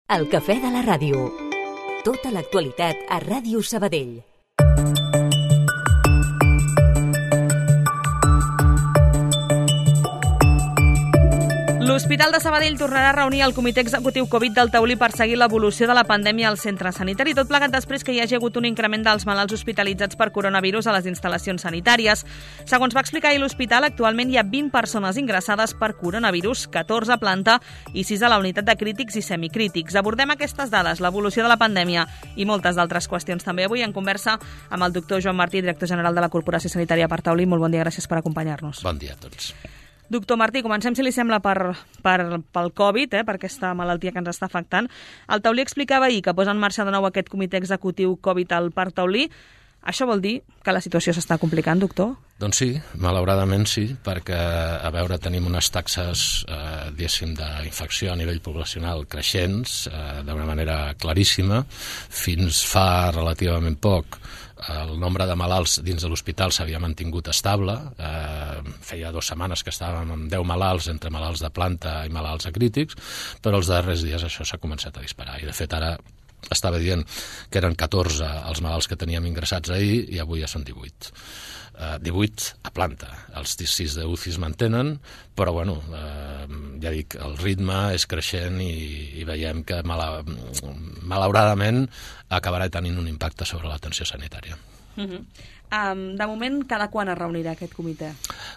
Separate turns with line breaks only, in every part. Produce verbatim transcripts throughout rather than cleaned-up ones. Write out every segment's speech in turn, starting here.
El cafè de la ràdio. Tota l'actualitat a Ràdio Sabadell.
L'Hospital de Sabadell tornarà a reunir el Comitè Executiu Covid del Taulí per seguir l'evolució de la pandèmia al centre sanitari, tot plegat després que hi hagi hagut un increment dels malalts hospitalitzats per coronavirus a les instal·lacions sanitàries. Segons va explicar ahir l'hospital, actualment hi ha vint persones ingressades per coronavirus, catorze a planta i sis a la unitat de crítics i semicrítics. Abordem aquestes dades, l'evolució de la pandèmia i moltes d'altres qüestions també avui en conversa amb el doctor Joan Martí, director general de la Corporació Sanitària per Taulí. Molt bon dia, gràcies per acompanyar-nos.
Bon dia a tots.
Doctor Martí, comencem, si li sembla, per, per, pel Covid, eh, per aquesta malaltia que ens està afectant. El Taulí explicava ahir que posa en marxa de nou aquest comitè executiu Covid al Parc Taulí. Això vol dir que la situació s'està complicant, doctor?
Doncs sí, malauradament sí, perquè, a veure, tenim unes taxes, eh, diguéssim, d'infecció a nivell poblacional creixents, eh, d'una manera claríssima. Fins fa relativament poc, el nombre de malalts dins de l'hospital s'havia mantingut estable. Eh, feia dues setmanes que estàvem amb deu malalts entre malalts de planta i malalts acrítics, però els darrers dies això s'ha començat a disparar. I, de fet, ara estava dient que eren catorze els malalts que teníem ingressats ahir i avui ja són divuit. Uh, divuit a planta. Els sis de U C I es mantenen, però bueno, uh, ja dic, el ritme és creixent i, i veiem que mala, malauradament acabarà tenint un impacte sobre l'atenció sanitària.
Uh-huh. Um, de moment, cada quan es reunirà aquest comitè?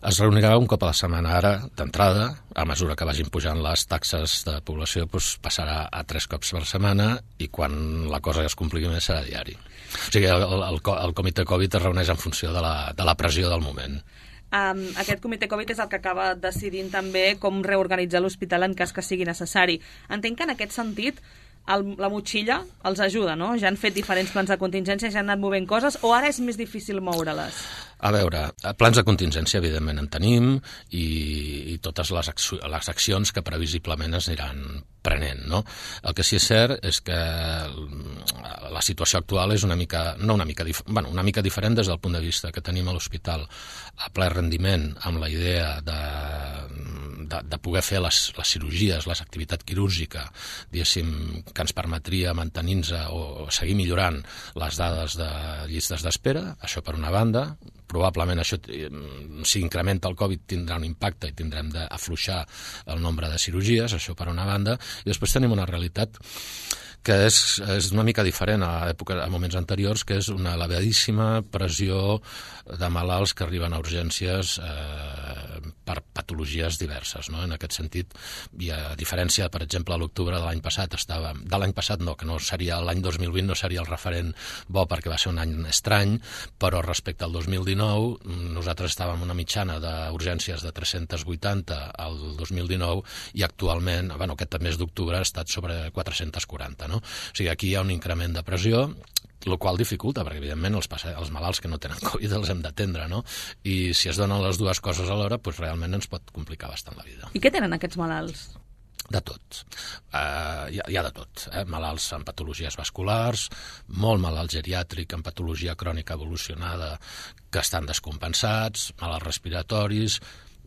Es reunirà un cop a la setmana. Ara, d'entrada, a mesura que vagin pujant les taxes de població, doncs passarà a tres cops per setmana i quan la cosa es compliqui més serà diari. O sigui, el, el, el comitè Covid es reuneix en funció de la, de la pressió del moment.
Um, aquest comitè Covid és el que acaba decidint també com reorganitzar l'hospital en cas que sigui necessari. Entenc que en aquest sentit el, la motxilla els ajuda, no? Ja han fet diferents plans de contingència, ja han anat movent coses, o ara és més difícil moure-les?
A veure, plans de contingència evidentment en tenim i, i totes les, acci les accions que previsiblement es aniran prenent, no? El que sí és cert és que la situació actual és una mica, no una mica, bueno, una mica diferent des del punt de vista que tenim a l'hospital a ple rendiment amb la idea de, de, de poder fer les, les cirurgies, les activitat quirúrgica, diguéssim, que ens permetria mantenir-nos o seguir millorant les dades de llistes d'espera, això per una banda. Probablement això, si incrementa el Covid, tindrà un impacte i tindrem d'afluixar el nombre de cirurgies, això per una banda. I després tenim una realitat que és, és una mica diferent a, època, a moments anteriors, que és una elevadíssima pressió de malalts que arriben a urgències eh, per patologies diverses, no? En aquest sentit, i a diferència, per exemple, a l'octubre de l'any passat, estava, de l'any passat no, que no seria l'any dos mil vint, no seria el referent bo perquè va ser un any estrany, però respecte al dos mil dinou, nosaltres estàvem una mitjana d'urgències de tres-cents vuitanta al dos mil dinou i actualment, bueno, aquest mes d'octubre ha estat sobre quatre-cents quaranta, no? O sigui, aquí hi ha un increment de pressió, el qual dificulta, perquè evidentment els, els malalts que no tenen Covid els hem d'atendre, no? I si es donen les dues coses alhora, doncs realment ens pot complicar bastant la vida.
I què tenen aquests malalts?
De tot. Uh, hi, ha, hi ha de tot. Eh? Malalts amb patologies vasculars, molt malalt geriàtric amb patologia crònica evolucionada que estan descompensats, malalts respiratoris.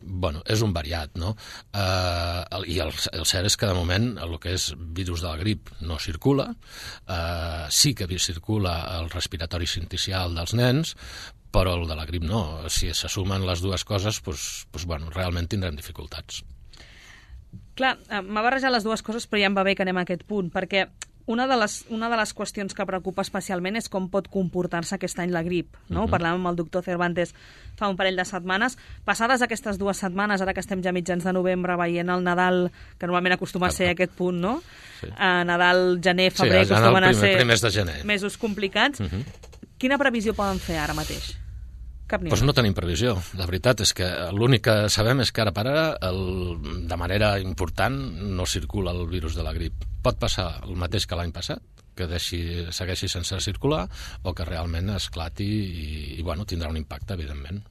Bueno, és un variat, no? Uh, el, I el, el cert és que de moment el que és virus de la grip no circula, uh, sí que circula el respiratori sincicial dels nens, però el de la grip no. Si se sumen les dues coses, doncs, doncs, bueno, realment tindrem dificultats.
Clar, m'ha barrejat les dues coses, però ja em va bé que anem a aquest punt, perquè Una de, les, una de les qüestions que preocupa especialment és com pot comportar-se aquest any la grip, no? Uh-huh. Parlàvem amb el doctor Cervantes fa un parell de setmanes. Passades aquestes dues setmanes, ara que estem ja mitjans de novembre, veient el Nadal, que normalment acostuma a ser aquest punt, no? Sí. Uh, Nadal, gener, febrer,
sí,
acostumen
primer,
a ser
primers de gener.
Mesos complicats. Uh-huh. Quina previsió poden fer ara mateix? Cap ni
doncs no tenim previsió. La veritat és que l'únic que sabem és que ara per ara, el, de manera important, no circula el virus de la grip. Pot passar el mateix que l'any passat, que deixi, segueixi sense circular, o que realment esclati i, i bueno, tindrà un impacte, evidentment.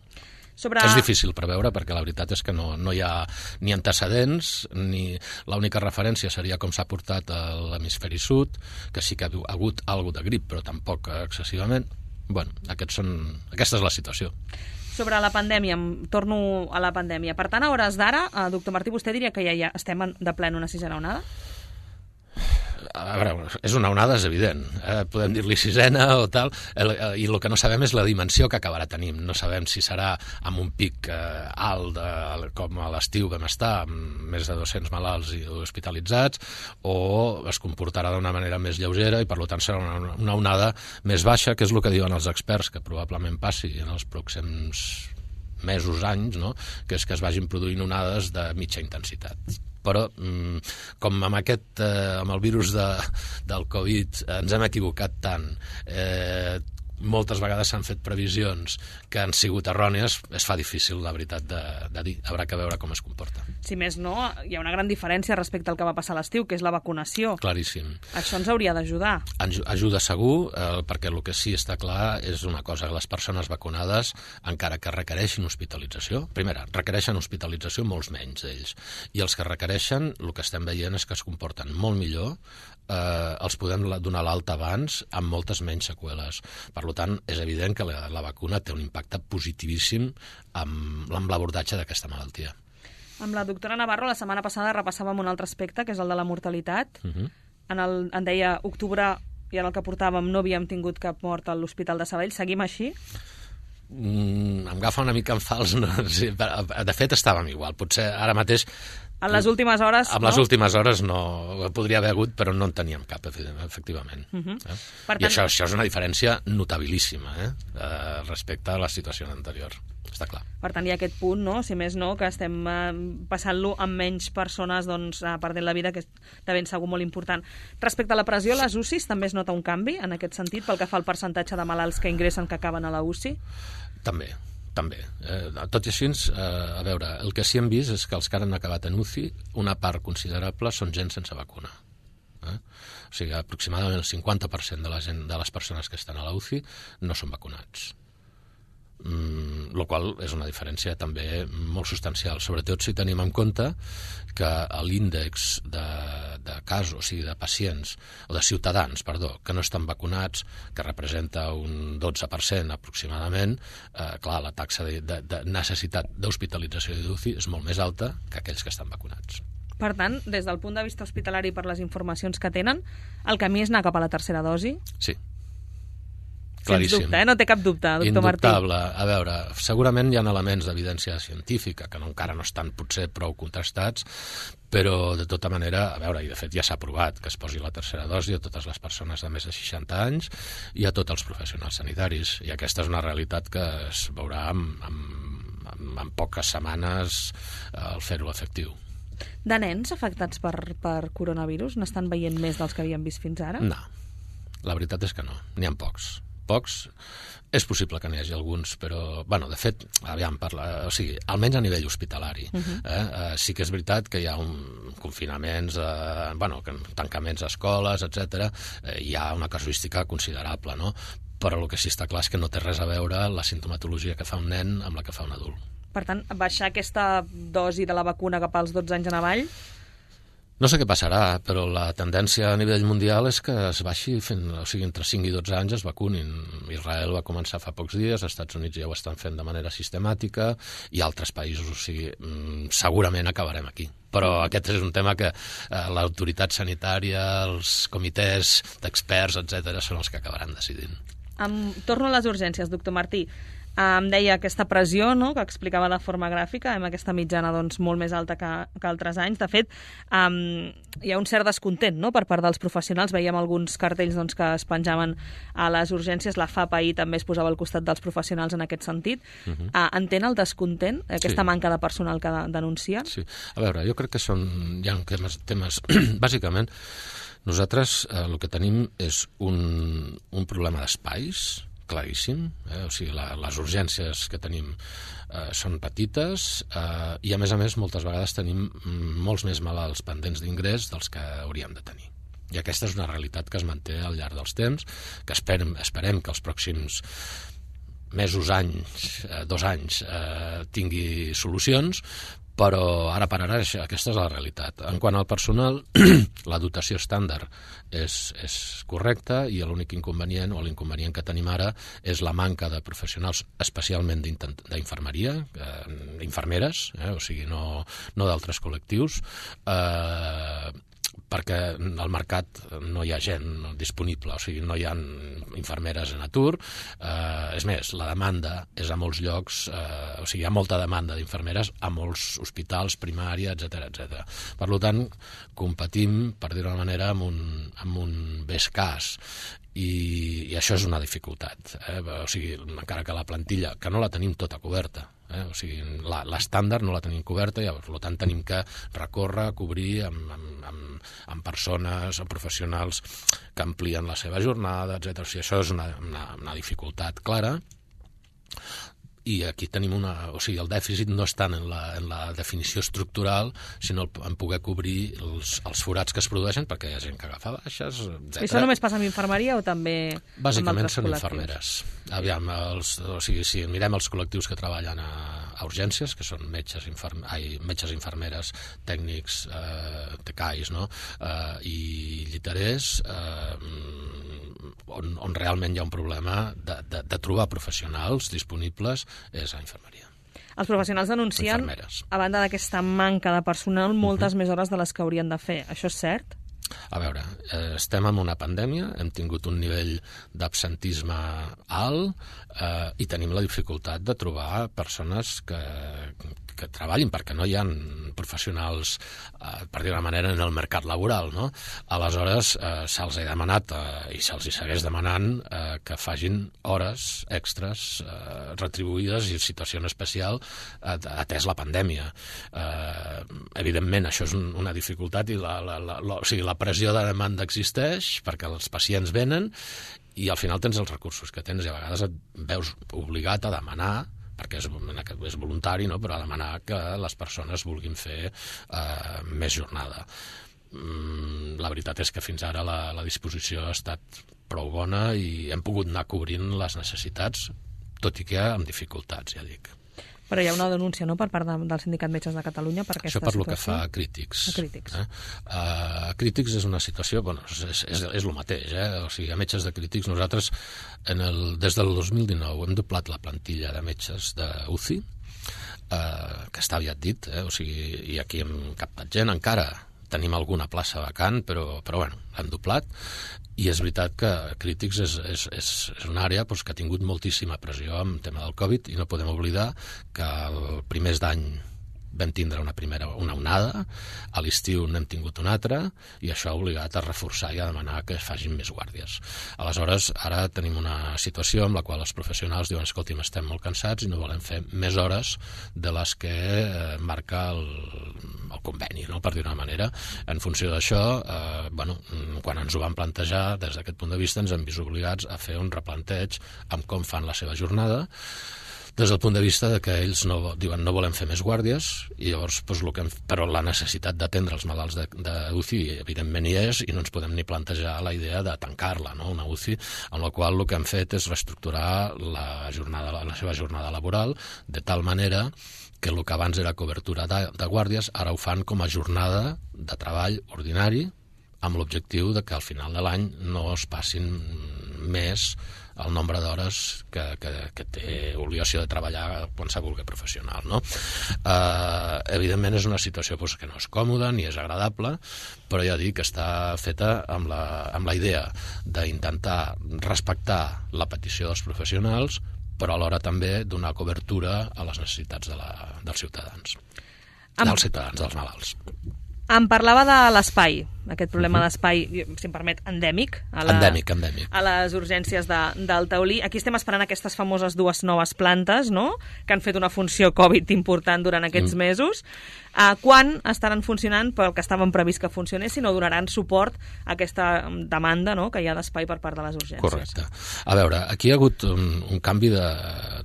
Sobre... És difícil preveure perquè la veritat és que no, no hi ha ni antecedents, ni l'única referència seria com s'ha portat a l'hemisferi sud, que sí que ha hagut alguna de grip, però tampoc excessivament. Bueno, aquests són, aquesta és la situació.
Sobre la pandèmia, torno a la pandèmia. Per tant, a hores d'ara, doctor Martí, vostè diria que ja, ja estem de ple en una sisena onada?
A veure, és una onada, és evident. Eh? Podem dir-li sisena o tal, i el que no sabem és la dimensió que acabarà tenint. No sabem si serà amb un pic eh, alt, de, com a l'estiu vam estar, amb més de dos-cents malalts i hospitalitzats, o es comportarà d'una manera més lleugera i, per tant, serà una, una onada més baixa, que és el que diuen els experts, que probablement passi en els pròxims mesos, anys, no? Que és que es vagin produint onades de mitja intensitat. Però, com amb aquest, eh, amb el virus de, del Covid ens hem equivocat tant, eh, moltes vegades s'han fet previsions que han sigut errònies, es fa difícil, la veritat, de, de dir. Haurà que veure com es comporta.
Si més no, hi ha una gran diferència respecte al que va passar a l'estiu, que és la vacunació.
Claríssim.
Això ens hauria d'ajudar.
Ajuda segur, eh, perquè el que sí està clar és una cosa, que les persones vacunades, encara que requereixin hospitalització, primera, requereixen hospitalització molts menys d'ells, i els que requereixen, el que estem veient és que es comporten molt millor, eh, els podem donar l'alta abans amb moltes menys seqüeles. Per tant, és evident que la, la vacuna té un impacte positivíssim amb, amb l'abordatge d'aquesta malaltia.
Amb la doctora Navarro, la setmana passada repassàvem un altre aspecte, que és el de la mortalitat. Uh-huh. en, el, en deia octubre, i en el que portàvem no havíem tingut cap mort a l'Hospital de Sabadell. Seguim així?
Mm, em agafa una mica en fals. No? Sí, de fet, estàvem igual. Potser ara mateix...
En les últimes hores,
en
no?
les últimes hores no, podria haver hagut, però no en teníem cap, efectivament. Uh-huh. eh? Per tant... I això, això és una diferència notabilíssima eh? Eh, respecte a la situació anterior. Està clar.
Per tant, hi ha aquest punt, no? Si més no, que estem eh, passant-lo amb menys persones doncs, eh, perdent la vida, que és de ben segur molt important. Respecte a la pressió, les U C Is també es nota un canvi en aquest sentit, pel que fa al percentatge de malalts que ingressen que acaben a la U C I?
També. També. Eh, tot i així, eh, a veure, el que sí hem vist és que els que han acabat en U C I, una part considerable són gent sense vacuna. Eh? O sigui, aproximadament el cinquanta per cent de la gent, de les persones que estan a la U C I no són vacunats. Mm, lo qual és una diferència també molt substancial, sobretot si tenim en compte que l'índex de, de casos, o sigui, de pacients, o de ciutadans, perdó, que no estan vacunats, que representa un dotze per cent aproximadament, eh, clar, la taxa de, de, de necessitat d'hospitalització d'U C I és molt més alta que aquells que estan vacunats.
Per tant, des del punt de vista hospitalari, per les informacions que tenen, el camí és anar cap a la tercera dosi?
Sí.
Claríssim. Sens dubte, eh? No té cap dubte, doctor Martí.
Indubtable. A veure, segurament hi ha elements d'evidència científica que no, encara no estan potser prou contrastats, però de tota manera, a veure, i de fet ja s'ha provat que es posi la tercera dosi a totes les persones de més de seixanta anys i a tots els professionals sanitaris. I aquesta és una realitat que es veurà en, en, en, en poques setmanes al fer-ho efectiu.
De nens afectats per, per coronavirus n'estan veient més dels que havíem vist fins ara?
No, la veritat és que no, n'hi ha pocs. Pocs, és possible que n'hi hagi alguns, però, bueno, de fet, aviam, parla, o sigui, almenys a nivell hospitalari. Uh-huh. eh? Eh, sí que és veritat que hi ha un confinaments, eh, bueno, tancaments a escoles, etcètera. Eh, hi ha una casuística considerable, no? Però el que sí està clar és que no té res a veure la sintomatologia que fa un nen amb la que fa un adult.
Per tant, baixar aquesta dosi de la vacuna cap als dotze anys en avall?
No sé què passarà, però la tendència a nivell mundial és que es baixi fent, o sigui, entre cinc i dotze anys es vacunin. Israel va començar fa pocs dies, els Estats Units ja ho estan fent de manera sistemàtica i altres països, o sigui, segurament acabarem aquí. Però aquest és un tema que eh, l'autoritat sanitària, els comitès d'experts, etcètera, són els que acabaran decidint.
Um, torno a les urgències, doctor Martí. Em deia aquesta pressió, no?, que explicava de forma gràfica, amb aquesta mitjana doncs, molt més alta que, que altres anys. De fet, um, hi ha un cert descontent, no?, per part dels professionals. Veiem alguns cartells doncs, que es penjaven a les urgències. La F A P ahir també es posava al costat dels professionals en aquest sentit. Uh-huh. uh, entén el descontent, aquesta sí. manca de personal que de, denuncien?
Sí. A veure, jo crec que són, hi ha temes, temes bàsicament, nosaltres eh, el que tenim és un, un problema d'espais, claríssim, eh? O sigui, la, les urgències que tenim eh, són petites eh, i a més a més moltes vegades tenim molts més malalts pendents d'ingrés dels que hauríem de tenir. I aquesta és una realitat que es manté al llarg dels temps, que esperem, esperem que els pròxims mesos, anys, eh, dos anys eh, tingui solucions, però ara per ara aquesta és la realitat. En quant al personal, la dotació estàndard és, és correcta i l'únic inconvenient o l'inconvenient que tenim ara és la manca de professionals, especialment d'infermeria, eh, infermeres, eh, o sigui, no, no d'altres col·lectius, eh, perquè al mercat no hi ha gent disponible, o sigui, no hi ha infermeres en atur, eh, és més, la demanda és a molts llocs, eh, o sigui, hi ha molta demanda d'infermeres a molts hospitals, primària, etcètera, etcètera. Per tant, competim, per dir-ho d'una manera, amb un, amb un bé escàs, i, i això és una dificultat, eh? O sigui, encara que la plantilla, que no la tenim tota coberta, Eh? O sigui, l'estàndard no la tenim coberta, i per tant tenim que recórrer, cobrir amb, amb, amb, amb persones, amb professionals que amplien la seva jornada, etcètera. O sigui, això és una, una, una dificultat clara. I aquí tenim una... O sigui, el dèficit no és tant en la, en la definició estructural, sinó en poder cobrir els, els forats que es produeixen, perquè hi ha gent que agafa baixes, etcètera.
I això només passa amb infermeria o també
Bàsicament són
col·lectius?
infermeres. Aviam, els, o sigui, si mirem els col·lectius que treballen a, a urgències, que són metges, inferm, ai, metges infermeres, tècnics, eh, tecais, no? eh, i lliterers, eh, on, on realment hi ha un problema de, de, de trobar professionals disponibles, és a infermeria.
Els professionals denuncien,
Infermeres.
a banda d'aquesta manca de personal, moltes uh-huh. més hores de les que haurien de fer. Això és cert?
A veure, eh, estem en una pandèmia, hem tingut un nivell d'absentisme alt eh, i tenim la dificultat de trobar persones que, que treballin, perquè no hi ha professionals, eh, per dir-ho d'una manera, en el mercat laboral, no? Aleshores, eh, se'ls ha demanat, eh, i se'ls hi segueix demanant, eh, que facin hores extres eh, retribuïdes i en situació especial eh, atès la pandèmia. Eh, evidentment, això és un, una dificultat i la, la, la, la, o sigui, la pressió de demanda existeix perquè els pacients venen i al final tens els recursos que tens i a vegades et veus obligat a demanar, perquè és, és voluntari, no? Però a demanar que les persones vulguin fer eh, més jornada. Mm, la veritat és que fins ara la, la disposició ha estat prou bona i hem pogut anar cobrint les necessitats, tot i que amb dificultats, ja dic.
Però hi ha una denúncia, no?, per part de, del Sindicat Metges de Catalunya per aquesta
situació. Això per
situació.
lo que fa a Crítics.
A Crítics.
Eh? Uh, Crítics és una situació, bueno, és, és, és el mateix, eh? O sigui, a Metges de Crítics nosaltres en el, des del dos mil dinou hem doblat la plantilla de metges de U C I, uh, que està aviat dit, eh? O sigui, i aquí hem captat gent, encara tenim alguna plaça vacant, però, però bueno, l'hem doblat. I és veritat que Crítics és, és, és, és una àrea doncs, que ha tingut moltíssima pressió amb el tema del Covid i no podem oblidar que el primers d'any vam tindre una primera una onada, a l'estiu n'hem tingut una altra i això ha obligat a reforçar i a demanar que es facin més guàrdies. Aleshores, ara tenim una situació en la qual els professionals diuen escolti'm, estem molt cansats i no volem fer més hores de les que eh, marca el, el conveni, no? Per dir una manera. En funció d'això, eh, bueno, quan ens ho van plantejar, des d'aquest punt de vista ens hem vist obligats a fer un replanteig amb com fan la seva jornada, des del punt de vista de que ells no, diuen no volem fer més guàrdies i llavors doncs, que hem, però la necessitat d'atendre els malalts de, de U C I evidentment hi és i no ens podem ni plantejar la idea de tancar-la, no? Una U C I en la qual el que hem fet és reestructurar la, jornada, la seva jornada laboral de tal manera que el que abans era cobertura de, de guàrdies ara ho fan com a jornada de treball ordinari amb l'objectiu de que al final de l'any no es passin més el nombre d'hores que, que, que té obligació de treballar qualsevol professional, no? Eh, evidentment és una situació doncs, que no és còmoda ni és agradable, però ja dic que està feta amb la, amb la idea d'intentar respectar la petició dels professionals, però alhora també donar cobertura a les necessitats de la, dels ciutadans,
Am...
dels ciutadans, dels malalts.
Em parlava de l'espai, aquest problema uh-huh. d'espai, si em permet, endèmic. A la,
endèmic, endèmic.
A les urgències de, del Taulí. Aquí estem esperant aquestes famoses dues noves plantes, no?, que han fet una funció Covid important durant aquests mm. mesos. Uh, quan estaran funcionant pel que estaven previst que funcionessin o donaran suport a aquesta demanda, no?, que hi ha d'espai per part de les urgències?
Correcte. A veure, aquí hi ha hagut un, un canvi de,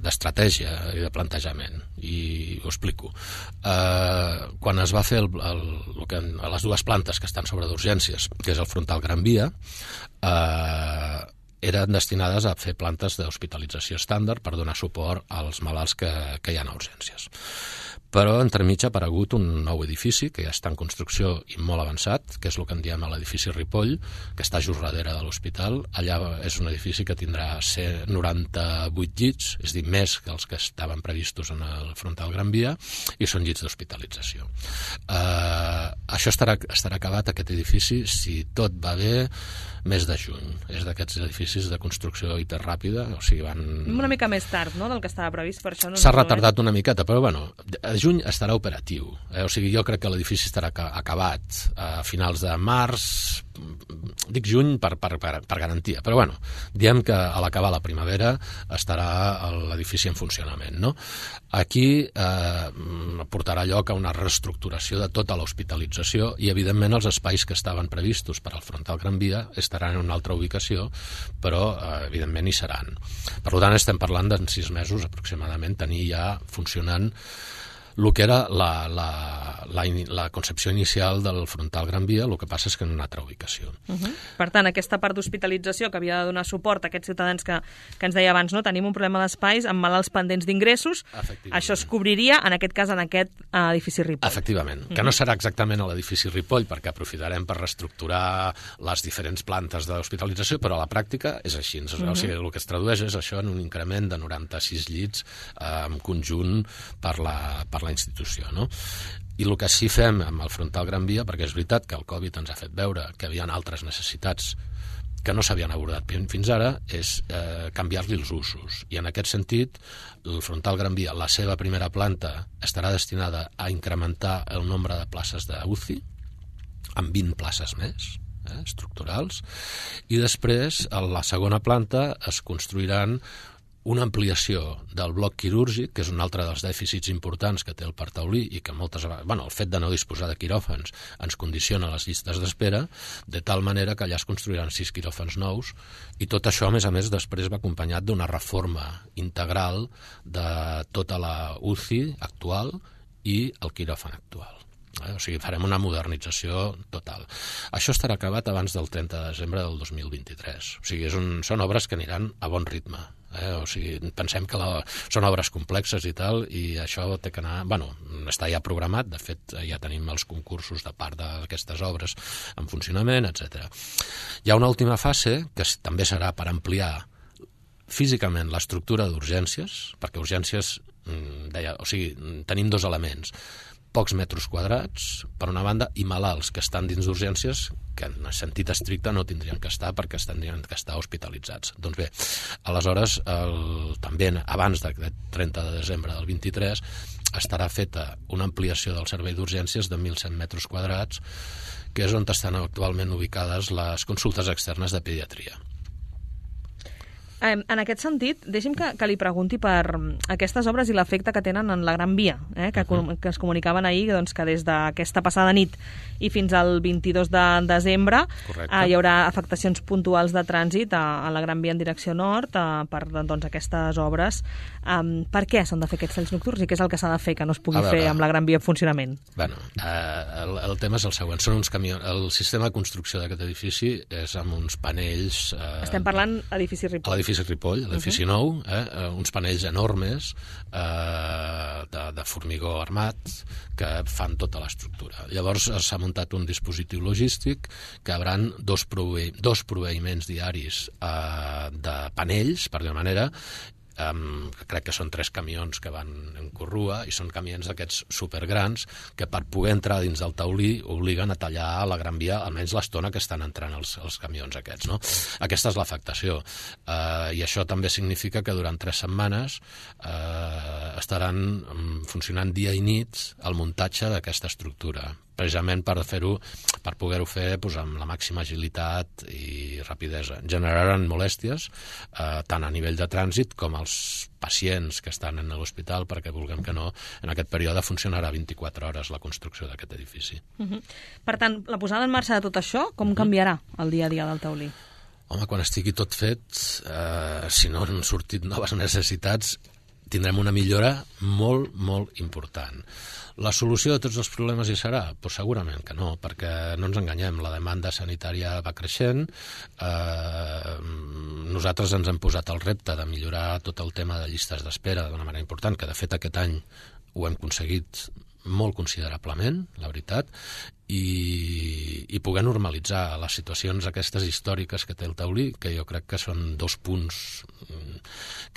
d'estratègia i de plantejament, i ho explico. Uh, quan es va fer el, el, el que, les dues plantes que estan sobre d'urgències, que és el frontal Gran Via, eh, eren destinades a fer plantes d'hospitalització estàndard per donar suport als malalts que, que hi ha a urgències. però entremig ha aparegut un nou edifici que ja està en construcció i molt avançat, que és el que en diem a l'edifici Ripoll, que està just darrere de l'hospital. Allà és un edifici que tindrà noranta-vuit llits, és a dir, més que els que estaven previstos en el frontal Gran Via, i són llits d'hospitalització. Uh, això estarà, estarà acabat, aquest edifici, si tot va bé, mes de juny. És d'aquests edificis de construcció hiperràpida, o sigui, van...
Una mica més tard, no?, del que estava previst, per això... No
S'ha retardat una miqueta, però, bueno, a juny estarà operatiu. Eh? O sigui, jo crec que l'edifici estarà acabat a finals de març, dic juny per, per, per, per garantia, però, bueno, diem que a l'acabar la primavera estarà l'edifici en funcionament, no? Aquí eh, portarà lloc a una reestructuració de tota l'hospitalització i, evidentment, els espais que estaven previstos per al frontal Gran Via estaran en una altra ubicació, però, eh, evidentment, hi seran. Per tant, estem parlant d'en sis mesos aproximadament tenir ja funcionant el que era la, la, la, la concepció inicial del frontal Gran Via, el que passa és que en una altra ubicació.
Uh -huh. Per tant, aquesta part d'hospitalització que havia de donar suport a aquests ciutadans que, que ens deia abans, no? Tenim un problema d'espais amb malalts pendents d'ingressos, això es cobriria, en aquest cas, en aquest uh, edifici Ripoll.
Efectivament, uh -huh. que no serà exactament a l'edifici Ripoll, perquè aprofitarem per reestructurar les diferents plantes d'hospitalització, però a la pràctica és així. Uh -huh. O sigui, el que es tradueix és això en un increment de noranta-sis llits eh, en conjunt per la, per la institució, no? I el que sí fem amb el frontal Gran Via, perquè és veritat que el Covid ens ha fet veure que hi havia altres necessitats que no s'havien abordat fins ara, és eh, canviar-li els usos. I en aquest sentit, el frontal Gran Via, la seva primera planta, estarà destinada a incrementar el nombre de places d'U C I, amb vint places més, eh, estructurals, i després, a la segona planta, es construiran una ampliació del bloc quirúrgic, que és un altre dels dèficits importants que té el Parc Taulí i que moltes vegades, bueno, el fet de no disposar de quiròfans ens condiciona les llistes d'espera, de tal manera que allà es construiran sis quiròfans nous, i tot això, a més a més, després va acompanyat d'una reforma integral de tota la U C I actual i el quiròfan actual. Eh? O sigui, farem una modernització total. Això estarà acabat abans del trenta de desembre del dos mil vint-i-tres. O sigui, és un, són obres que aniran a bon ritme. Eh? O sigui, pensem que la, són obres complexes i tal, i això té que anar... Bueno, està ja programat, de fet, ja tenim els concursos de part d'aquestes obres en funcionament, etcètera. Hi ha una última fase, que també serà per ampliar físicament l'estructura d'urgències, perquè urgències, deia, o sigui, tenim dos elements, pocs metres quadrats, per una banda, i malalts que estan dins d'urgències que en sentit estricte no tindrien que estar perquè tindrien que estar hospitalitzats. Doncs bé, aleshores, el, també abans del trenta de desembre del vint-i-tres, estarà feta una ampliació del servei d'urgències de mil cent metres quadrats, que és on estan actualment ubicades les consultes externes de pediatria.
En aquest sentit, deixi'm que, que li pregunti per aquestes obres i l'efecte que tenen en la Gran Via, eh, que, uh-huh. que es comunicaven ahir, doncs, que des d'aquesta passada nit i fins al vint-i-dos de desembre eh, hi haurà afectacions puntuals de trànsit a, a la Gran Via en direcció nord eh, per doncs, aquestes obres. Um, per què s'han de fer aquests talls nocturns i què és el que s'ha de fer que no es pugui veure, fer amb la Gran Via en funcionament?
Bueno, eh, el, el tema és el següent. Són uns camions. El sistema de construcció d'aquest edifici és amb uns panells... Eh,
Estem parlant edifici Ripoll.
L'edifici Ripoll, l'edifici uh-huh. nou, eh, uns panells enormes eh, de, de formigó armat que fan tota l'estructura. Llavors s'ha muntat un dispositiu logístic que hauran dos, prove dos proveïments diaris eh, de panells, per dir-ho manera, Um, crec que són tres camions que van en corrua i són camions d'aquests supergrans que per poder entrar dins del taulí obliguen a tallar la Gran Via almenys l'estona que estan entrant els, els camions aquests, no? Aquesta és l'afectació uh, i això també significa que durant tres setmanes uh, estaran um, funcionant dia i nit el muntatge d'aquesta estructura, precisament per fer-ho, per poder-ho fer doncs, amb la màxima agilitat i rapidesa. Generaran molèsties eh, tant a nivell de trànsit com als pacients que estan en l'hospital, perquè vulguem que no, en aquest període funcionarà vint-i-quatre hores la construcció d'aquest edifici.
Uh-huh. Per tant, la posada en marxa de tot això, com uh-huh. canviarà el dia a dia del taulí?
Home, quan estigui tot fet, eh, si no han sortit noves necessitats, tindrem una millora molt, molt important. La solució de tots els problemes hi serà? Pues segurament que no, perquè no ens enganyem, la demanda sanitària va creixent, eh, nosaltres ens hem posat el repte de millorar tot el tema de llistes d'espera d'una manera important, que de fet aquest any ho hem aconseguit molt considerablement, la veritat, i, i poder normalitzar les situacions aquestes històriques que té el taulí, que jo crec que són dos punts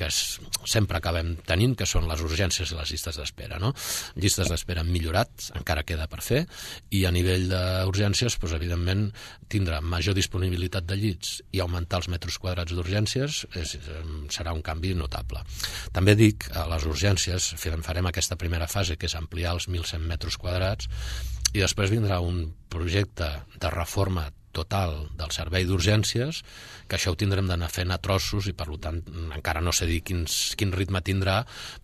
que es, sempre acabem tenint, que són les urgències i les llistes d'espera, no? Llistes d'espera han millorat, encara queda per fer, i a nivell d'urgències, doncs, evidentment, tindre major disponibilitat de llits i augmentar els metres quadrats d'urgències és, serà un canvi notable. També dic, a les urgències farem aquesta primera fase, que és ampliar els mil cent metres quadrats, i després vindrà un projecte de reforma total del servei d'urgències, que això ho tindrem d'anar fent a trossos i per tant encara no sé dir quins, quin ritme tindrà,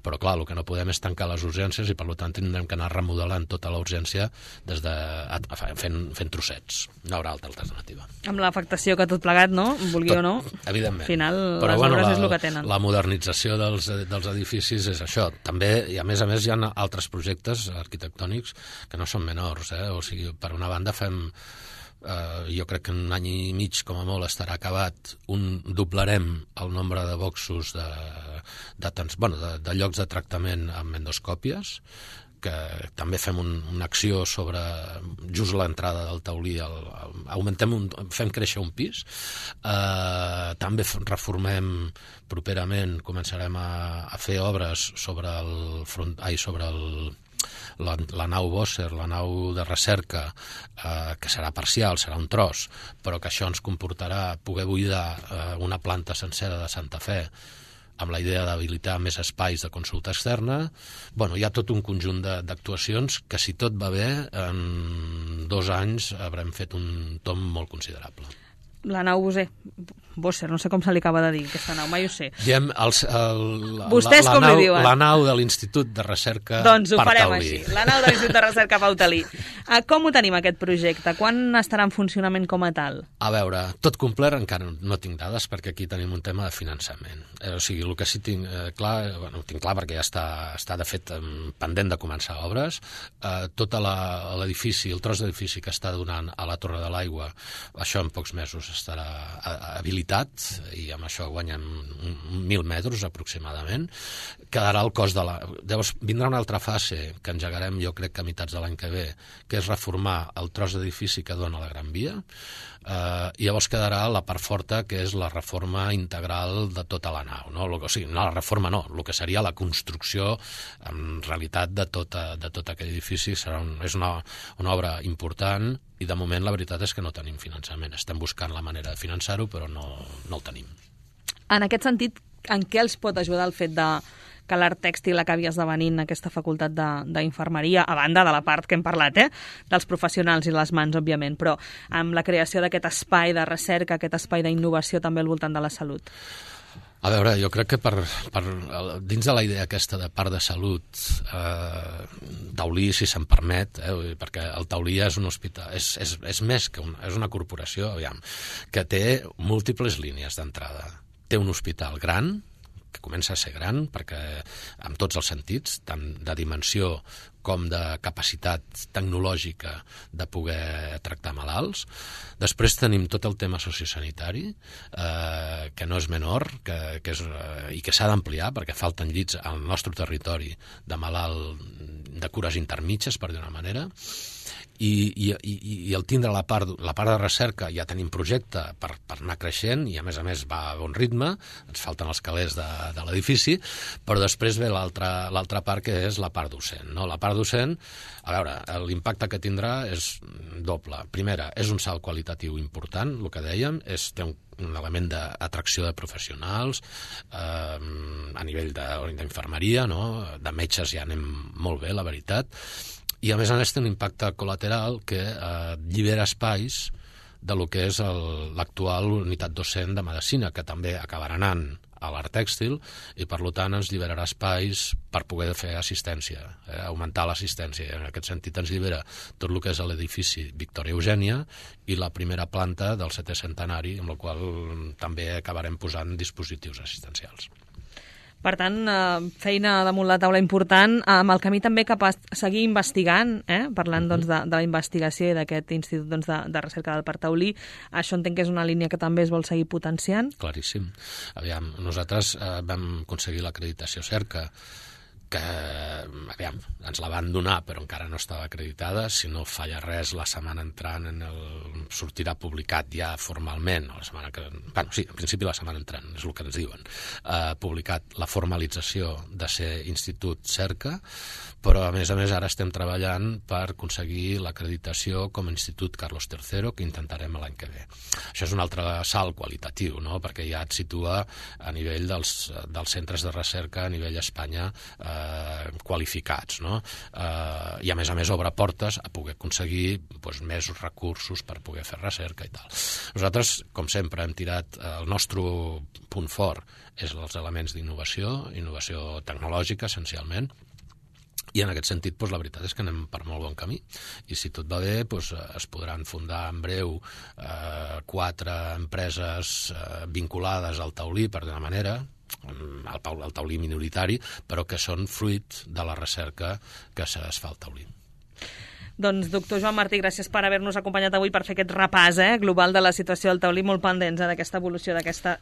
però clar, el que no podem és tancar les urgències i per tant tindrem que anar remodelant tota la urgència des de, fent, fent trossets. No haurà altra alternativa.
Amb l'afectació que tot plegat, no? Vulgui tot, o no?
Evidentment.
Al final
però,
les
bueno,
obres
la,
és el que tenen.
La modernització dels, dels edificis és això. També, i a més a més hi ha altres projectes arquitectònics que no són menors, eh? O sigui, per una banda fem Uh, jo crec que un any i mig com a molt estarà acabat, un doblarem el nombre de boxos de, de, bueno, de, de llocs de tractament amb endoscòpies, que també fem un, una acció sobre just l'entrada del taulí, el, el, augmentem un, fem créixer un pis, uh, també reformem properament, començarem a, a fer obres sobre el front, ai, sobre el La, la nau Bosser, la nau de recerca, eh, que serà parcial, serà un tros, però que això ens comportarà poder buidar eh, una planta sencera de Santa Fe amb la idea d'habilitar més espais de consulta externa. Bueno, hi ha tot un conjunt d'actuacions que, si tot va bé, en dos anys haurem fet un tomb molt considerable.
La nau Bosser, Bosser, no sé com se li acaba de dir, aquesta nau, mai ho sé.
Diem el, el,
Vostès
la, la,
com
nau,
li diuen?
La nau de l'Institut de Recerca
doncs ho
Pau
farem
Taulí.
així, la nau de l'Institut de Recerca Pau Taulí. Uh, com ho tenim, aquest projecte? Quan estarà en funcionament com a tal?
A veure, tot complert encara no tinc dades, perquè aquí tenim un tema de finançament. Eh, o sigui, el que sí tinc eh, clar, bueno, ho tinc clar perquè ja està, està de fet pendent de començar obres, eh, tot l'edifici, el tros d'edifici que està donant a la Torre de l'Aigua, això en pocs mesos estarà habilitat, i amb això guanyem mil metres aproximadament. Quedarà el cost de la... Llavors vindrà una altra fase que engegarem, jo crec que a meitats de l'any que ve, que és reformar el tros d'edifici que dona la Gran Via, eh, i llavors quedarà la part forta, que és la reforma integral de tota la nau, no? O sigui, no la reforma no, el que seria la construcció en realitat de, tota, de tot aquell edifici. Serà un, és una, una obra important, i de moment la veritat és que no tenim finançament. Estem buscant la manera de finançar-ho, però no, no el tenim.
En aquest sentit, en què els pot ajudar el fet de que l'art tèxtil acabi esdevenint aquesta facultat d'infermeria, a banda de la part que hem parlat, eh? dels professionals i les mans, òbviament, però amb la creació d'aquest espai de recerca, aquest espai d'innovació també al voltant de la salut?
A veure, jo crec que per, per, dins de la idea aquesta de part de salut, eh, Taulí, si se'm permet, eh, perquè el Taulí és un hospital, és, és, és més que un, és una corporació, aviam, que té múltiples línies d'entrada. Té un hospital gran, que comença a ser gran, perquè en tots els sentits, tant de dimensió com de capacitat tecnològica de poder tractar malalts. Després tenim tot el tema sociosanitari, eh, que no és menor, que, que és, eh, i que s'ha d'ampliar, perquè falten llits al nostre territori de malalt de cures intermitges, per dir una manera. I, i, i, i el tindre la part, la part de recerca, ja tenim projecte per, per anar creixent, i a més a més va a bon ritme, ens falten els calés de, de l'edifici, però després ve l'altra l'altra part, que és la part docent, no? La part docent, a veure, l'impacte que tindrà és doble. Primera, és un salt qualitatiu important, el que dèiem, és, té un un element d'atracció de professionals, eh, a nivell d'infermeria, no? De metges ja anem molt bé, la veritat, i a més a més té un impacte col·lateral que eh, llibera espais de lo que és l'actual unitat docent de medicina, que també acabarà anant a l'art tèxtil, i per tant ens lliberarà espais per poder fer assistència, eh, augmentar l'assistència. En aquest sentit ens llibera tot el que és l'edifici Victòria Eugènia i la primera planta del setè centenari, amb la qual també acabarem posant dispositius assistencials.
Per tant, feina damunt la taula important, amb el camí també cap a seguir investigant, eh? parlant doncs, de, de la investigació i d'aquest Institut doncs, de, de Recerca del Parc Taulí. Això entenc que és una línia que també es vol seguir potenciant.
Claríssim. Aviam, nosaltres eh, vam aconseguir l'acreditació Cerca, que aviam, ens la van donar però encara no estava acreditada. Si no falla res, la setmana entrant en el... sortirà publicat ja formalment, la setmana que... bueno, sí, en principi la setmana entrant, és el que ens diuen, eh, publicat la formalització de ser Institut Cerca, però a més a més ara estem treballant per aconseguir l'acreditació com a Institut Carlos tercero, que intentarem l'any que ve. Això és un altre salt qualitatiu, no? Perquè ja et situa a nivell dels, dels centres de recerca a nivell Espanya eh, qualificats, no? Eh, i a més a més obre portes a poder aconseguir doncs, més recursos per poder fer recerca i tal. Nosaltres, com sempre, hem tirat el nostre punt fort és els elements d'innovació, innovació tecnològica essencialment, i en aquest sentit doncs, la veritat és que anem per molt bon camí, i si tot va bé doncs, es podran fundar en breu eh, quatre empreses eh, vinculades al taulí, per d'una manera, el, el taulí minoritari, però que són fruit de la recerca que es fa al taulí.
Doncs, doctor Joan Martí, gràcies per haver-nos acompanyat avui per fer aquest repàs eh, global de la situació del taulí, molt pendents eh, d'aquesta evolució, d'aquesta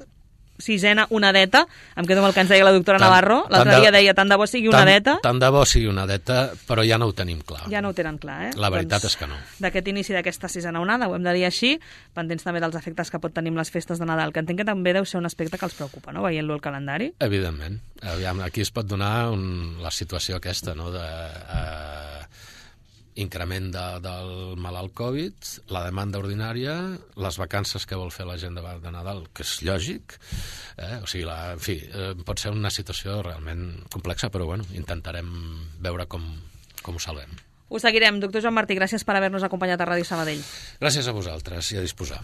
sisena onadeta. Em quedo amb el que ens deia la doctora tant, Navarro. L'altre dia deia tant de bo sigui onadeta.
Tant, tant de bo sigui onadeta, però ja no ho tenim clar.
Ja no ho tenen clar, eh?
La veritat
doncs,
és que no.
D'aquest inici d'aquesta sisena onada, ho hem de dir així, pendents també dels efectes que pot tenir amb les festes de Nadal, que entenc que també deu ser un aspecte que els preocupa, no?, veient-lo al calendari.
Evidentment. Aviam, aquí es pot donar un, la situació aquesta, no?, de... Eh, increment de, del malalt Covid, la demanda ordinària, les vacances que vol fer la gent de, de Nadal, que és lògic, eh? O sigui, la, en fi, eh, pot ser una situació realment complexa, però bueno, intentarem veure com, com ho salvem.
Ho seguirem. Doctor Joan Martí, gràcies per haver-nos acompanyat a Ràdio Sabadell.
Gràcies a vosaltres i a disposar.